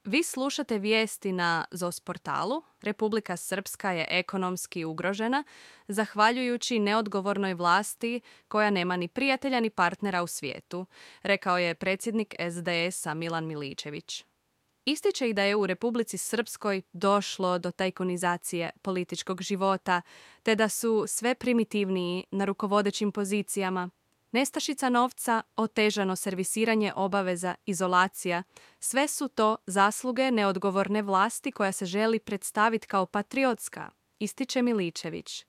Vi slušate vijesti na ZOS portalu. Republika Srpska je ekonomski ugrožena, zahvaljujući neodgovornoj vlasti koja nema ni prijatelja ni partnera u svijetu, rekao je predsjednik SDS-a Milan Miličević. Ističe i da je u Republici Srpskoj došlo do tajkunizacije političkog života, te da su sve primitivniji na rukovodećim pozicijama. Nestašica novca, otežano servisiranje obaveza, izolacija, sve su to zasluge neodgovorne vlasti koja se želi predstaviti kao patriotska, ističe Miličević.